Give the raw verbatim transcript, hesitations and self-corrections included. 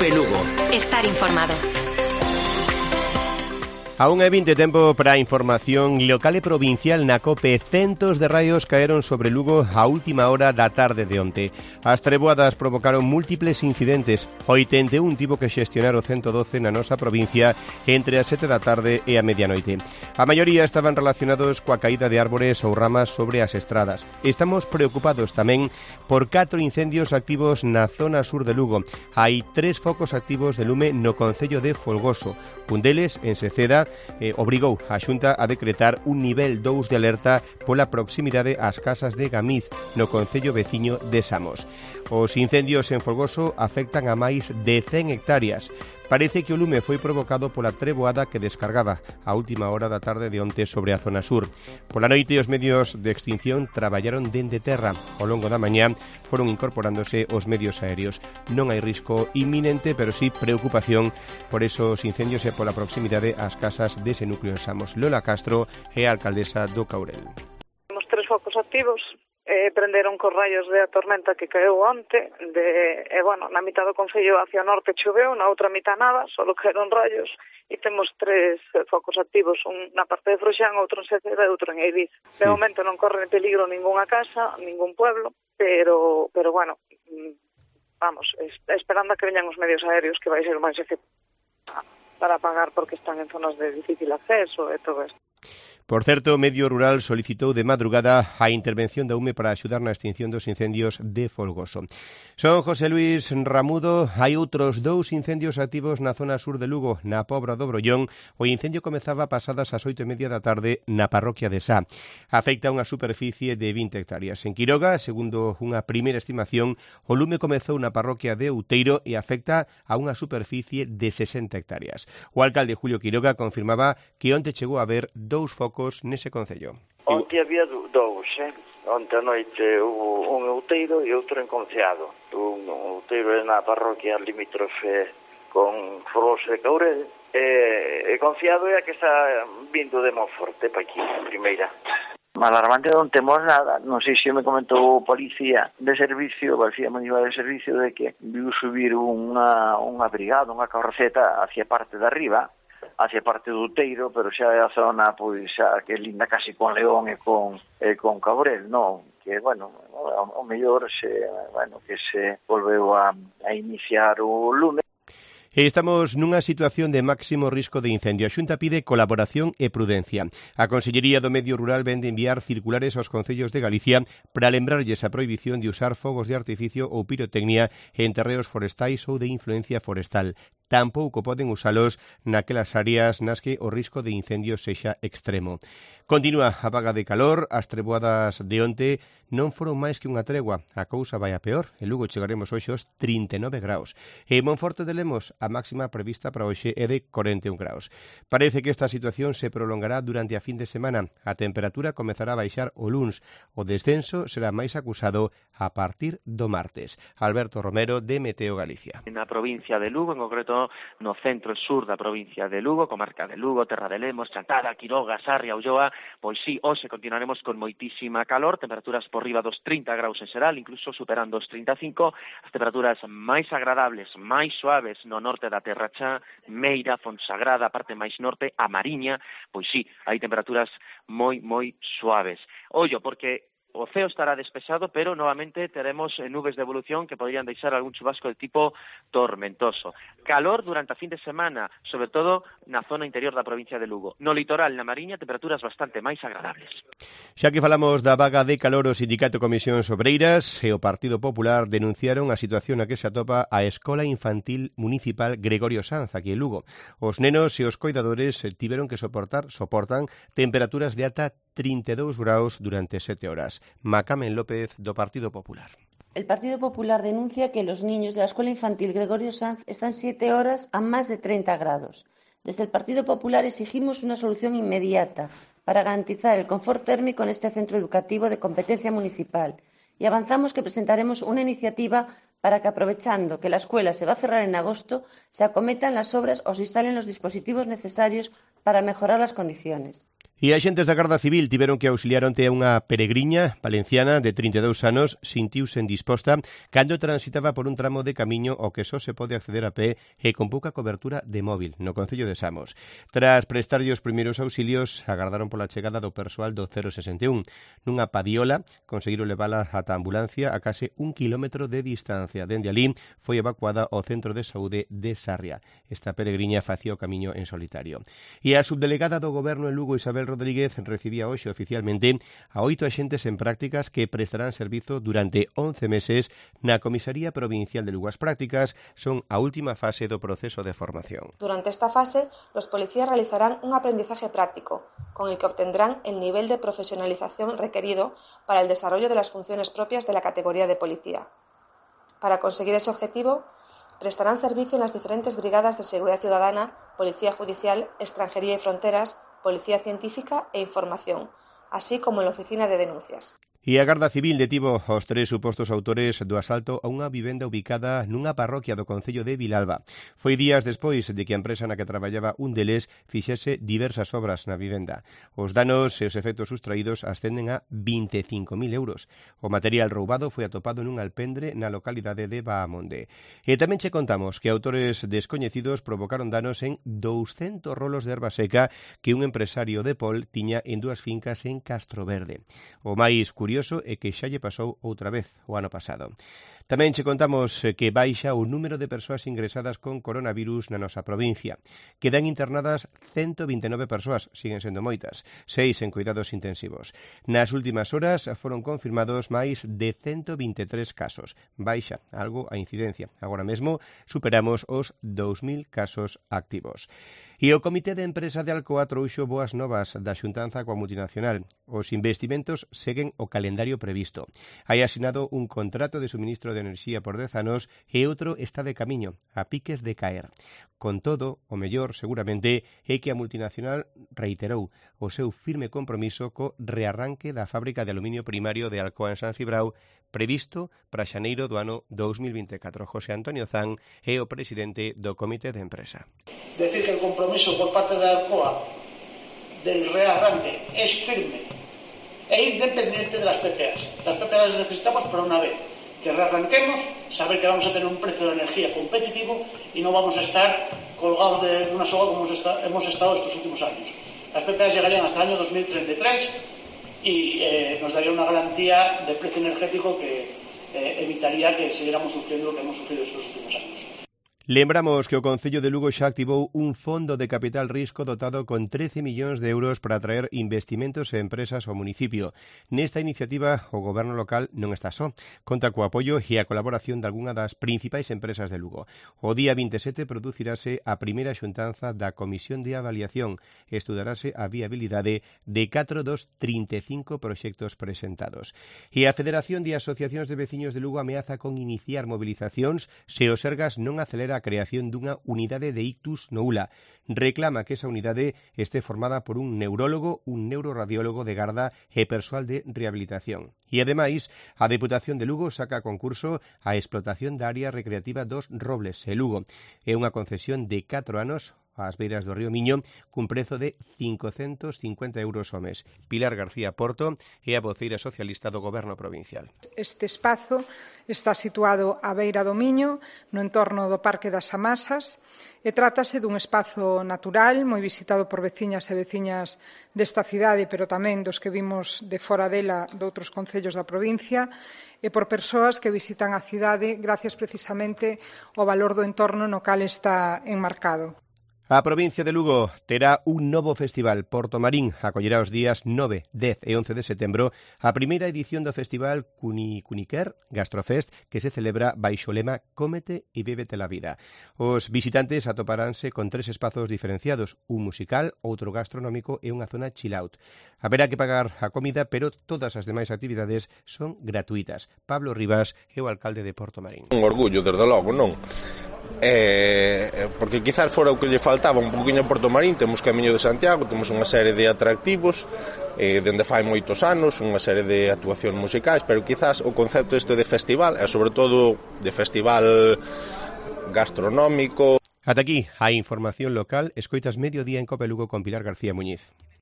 Cope Lugo. Estar informado. A unha e vinte tempo para a información local e provincial na COPE. Centos de raios caeron sobre Lugo a última hora da tarde de onte. As treboadas provocaron múltiples incidentes. oitenta e un tivo que xestionar o ciento doce na nosa provincia entre as sete da tarde e a medianoite. A maioría estaban relacionados coa caída de árbores ou ramas sobre as estradas. Estamos preocupados tamén por catro incendios activos na zona sur de Lugo. Hai tres focos activos de lume no concello de Folgoso. Un deles, en Seceda, Eh, obrigou a Xunta a decretar un nivel dous de alerta pola proximidade ás casas de Gamiz, no concello veciño de Samos. Os incendios en Folgoso afectan a máis de cen hectáreas. Parece que o lume foi provocado pola treboada que descargaba a última hora da tarde de onte sobre a zona sur. Pola noite, os medios de extinción traballaron dende terra. Ao longo da mañá foron incorporándose os medios aéreos. Non hai risco inminente, pero sí preocupación por esos incendios e pola proximidade ás casas dese núcleo en Samos. Lola Castro é a alcaldesa do Caurel. Temos tres focos activos. Eh, prenderon cos raios de a tormenta que caeu onte de, eh, bueno, na mitad do concello hacia o norte choveu, na outra mitad nada, solo caeron raios e temos tres eh, focos activos, un na parte de Froxán, outro en Seceda e outro en Eiviz. De sí. momento non corre peligro ningunha casa, ningún pueblo, pero pero bueno, vamos, es, esperando a que veñan os medios aéreos, que vai ser o máis efectivo para pagar porque están en zonas de difícil acceso e todo isto. Por certo, o Medio Rural solicitou de madrugada a intervención da U M E para axudar na extinción dos incendios de Folgoso. Son José Luis Ramudo. Hai outros dous incendios activos na zona sur de Lugo, na Pobra do Brollón. O incendio comezaba pasadas as oito e media da tarde na parroquia de Sá. Afecta unha superficie de vinte hectáreas. En Quiroga, segundo unha primeira estimación, o lume comezou na parroquia de Outeiro e afecta a unha superficie de sesenta hectáreas. O alcalde Julio Quiroga confirmaba que onte chegou a haber dous focos nese concello. Onte había dous, eh? Onte a noite hubo un Outeiro e outro en Conceado. Un Outeiro é na parroquia limítrofe con Folgoso de Caurel e, e Conceado é a que está vindo de Monforte para aquí, a primeira. Alarmante non temos nada, non sei se me comentou o policía de servicio, o policía municipal de servicio, de que viu subir unha, unha brigada, unha carroceta hacia parte de arriba, hacia parte do Outeiro, pero xa é a zona pois xa que linda casi con León e con e con Cabrel, non, que bueno, o mellor se, bueno, que se volveu a, a iniciar o lume. Estamos nunha situación de máximo risco de incendio. A Xunta pide colaboración e prudencia. A Consellería do Medio Rural vende enviar circulares aos concellos de Galicia para lembrarlles a prohibición de usar fogos de artificio ou pirotecnia en terreos forestais ou de influencia forestal. Tampouco poden usalos naquelas áreas nas que o risco de incendio sexa extremo. Continúa a vaga de calor, as treboadas de onte non foron máis que unha tregua. A cousa vai a peor. En Lugo chegaremos hoxe aos trinta e nove graus. E en Monforte de Lemos a máxima prevista para hoxe é de corenta e un graus. Parece que esta situación se prolongará durante a fin de semana. A temperatura comezará a baixar o luns. O descenso será máis acusado a partir do martes. Alberto Romero, de Meteo Galicia. Na provincia de Lugo, en concreto no centro e sur da provincia de Lugo, comarca de Lugo, Terra de Lemos, Chantada, Quiroga, Sarria, Ulloa, pois sí, hoxe continuaremos con moitísima calor, temperaturas por riba dos trinta graus en xeral, incluso superando os trinta e cinco, as temperaturas máis agradables, máis suaves no norte da Terra Chá, Meira, Fonsagrada, a parte máis norte, a Mariña, pois sí, hai temperaturas moi, moi suaves. Ollo, porque o ceo estará despexado, pero novamente teremos nubes de evolución que podrían deixar algún chubasco de tipo tormentoso. Calor durante a fin de semana, sobre todo na zona interior da provincia de Lugo. No litoral, na Mariña, temperaturas bastante máis agradables. Xa que falamos da vaga de calor, o Sindicato Comisións Obreiras e o Partido Popular denunciaron a situación na que se atopa a Escola Infantil Municipal Gregorio Sanz, aquí en Lugo. Os nenos e os coidadores tiveron que soportar, soportan temperaturas de ata trinta e dous graus durante sete horas. Macamen López, do Partido Popular. El Partido Popular denuncia que los niños de la Escuela Infantil Gregorio Sanz están siete horas a más de treinta grados. Desde el Partido Popular exigimos una solución inmediata para garantizar el confort térmico en este centro educativo de competencia municipal y avanzamos que presentaremos una iniciativa para que, aprovechando que la escuela se va a cerrar en agosto, se acometan las obras o se instalen los dispositivos necesarios para mejorar las condiciones. E axentes da Garda Civil tiveron que auxiliar onte a unha peregriña valenciana de trinta e dous anos sintiuse indisposta cando transitaba por un tramo de camiño ao que só se pode acceder a pé e con pouca cobertura de móvil no concello de Samos. Tras prestarlle os primeiros auxilios, agardaron pola chegada do persoal do cero sesenta e un. Nunha padiola conseguiron levala ata a ambulancia a case un kilómetro de distancia. Dende alí foi evacuada ao centro de saúde de Sarria. Esta peregriña facía o camiño en solitario. E a subdelegada do Goberno en Lugo, Isabel Rodríguez, recibía hoxe oficialmente a oito axentes en prácticas que prestarán servizo durante once meses na Comisaría Provincial de Lugo. As prácticas son a última fase do proceso de formación. Durante esta fase, los policías realizarán un aprendizaje práctico, con el que obtendrán el nivel de profesionalización requerido para el desarrollo de las funciones propias de la categoría de policía. Para conseguir ese objetivo, prestarán servicio en las diferentes brigadas de seguridad ciudadana, policía judicial, extranjería y fronteras, policía científica e información, así como en la oficina de denuncias. E a Garda Civil detivo aos tres supostos autores do asalto a unha vivenda ubicada nunha parroquia do concello de Vilalba. Foi días despois de que a empresa na que traballaba un deles fixese diversas obras na vivenda. Os danos e os efectos sustraídos ascenden a vinte e cinco mil euros. O material roubado foi atopado nun alpendre na localidade de Baamonde. E tamén che contamos que autores descoñecidos provocaron danos en douscentos rolos de erva seca que un empresario de Pol tiña en dúas fincas en Castroverde. O máis curioso curioso é que xa lle pasou outra vez o ano pasado. Tamén che contamos que baixa o número de persoas ingresadas con coronavirus na nosa provincia. Quedan internadas ciento vinte e nove persoas, siguen sendo moitas, seis en cuidados intensivos. Nas últimas horas foron confirmados máis de ciento vinte e tres casos. Baixa algo a incidencia. Agora mesmo superamos os dous mil casos activos. E o Comité de Empresa de Alcoa trouxo boas novas da xuntanza coa multinacional. Os investimentos seguen o calendario previsto. Hai asinado un contrato de suministro de enerxía por dez anos e outro está de camiño, a piques de caer. Con todo, o mellor, seguramente, é que a multinacional reiterou o seu firme compromiso co rearranque da fábrica de aluminio primario de Alcoa en San Cibrao, previsto para xaneiro do ano dous mil vinte e catro. José Antonio Zan é o presidente do Comité de Empresa. Decir que el compromiso por parte de Alcoa del rearranque es firme e independiente de las P P As. Las P P As necesitamos para una vez que rearranquemos, saber que vamos a tener un precio de energía competitivo y no vamos a estar colgados de una soga como hemos estado estos últimos años. Las P P As llegarían hasta el año dos mil treinta y tres y eh, nos daría una garantía de precio energético que eh, evitaría que siguiéramos sufriendo lo que hemos sufrido estos últimos años. Lembramos que o Concello de Lugo xa activou un fondo de capital risco dotado con trece millóns de euros para atraer investimentos e empresas ao municipio. Nesta iniciativa, o goberno local non está só. Conta co apoio e a colaboración de algunha das principais empresas de Lugo. O día vinte e sete producirase a primeira xuntanza da Comisión de Avaliación e estudarase a viabilidade de catro dos trinta e cinco proxectos presentados. E a Federación de Asociacións de Veciños de Lugo ameaza con iniciar movilizacións se o Sergas non acelera a creación dunha unidade de ictus no U L A. Reclama que esa unidade este formada por un neurólogo, un neuroradiólogo de garda e persoal de rehabilitación. E, ademais, a Deputación de Lugo saca a concurso a explotación da área recreativa dos Robles, e Lugo. É unha concesión de catro anos ás beiras do río Miño, cun prezo de cincocentos cincuenta euros ao mes. Pilar García Porto é a voceira socialista do Goberno provincial. Este espazo está situado á beira do Miño, no entorno do Parque das Amasas, e trátase dun espazo natural, moi visitado por veciñas e veciñas desta cidade, pero tamén dos que vimos de fora dela de outros concellos da provincia, e por persoas que visitan a cidade gracias precisamente ao valor do entorno no cal está enmarcado. A provincia de Lugo terá un novo festival. Porto Marín acollerá os días nove, dez e once de setembro a primeira edición do festival Cuni Cuniquer Gastrofest, que se celebra baixo o lema Cómete e bébete la vida. Os visitantes atoparánse con tres espazos diferenciados, un musical, outro gastronómico e unha zona chill out. Haberá que pagar a comida, pero todas as demais actividades son gratuitas. Pablo Rivas é o alcalde de Porto Marín. Un orgullo, desde logo, non? Eh, porque quizás fora o que lle faltaba un poquinho a Porto Marín. Temos Camiño de Santiago, temos unha serie de atractivos eh, dende fai moitos anos, unha serie de actuacións musicais, pero quizás o concepto este de festival e sobre todo de festival gastronómico. Ata aquí a información local. Escoitas Mediodía en Cope Lugo con Pilar García Muñiz.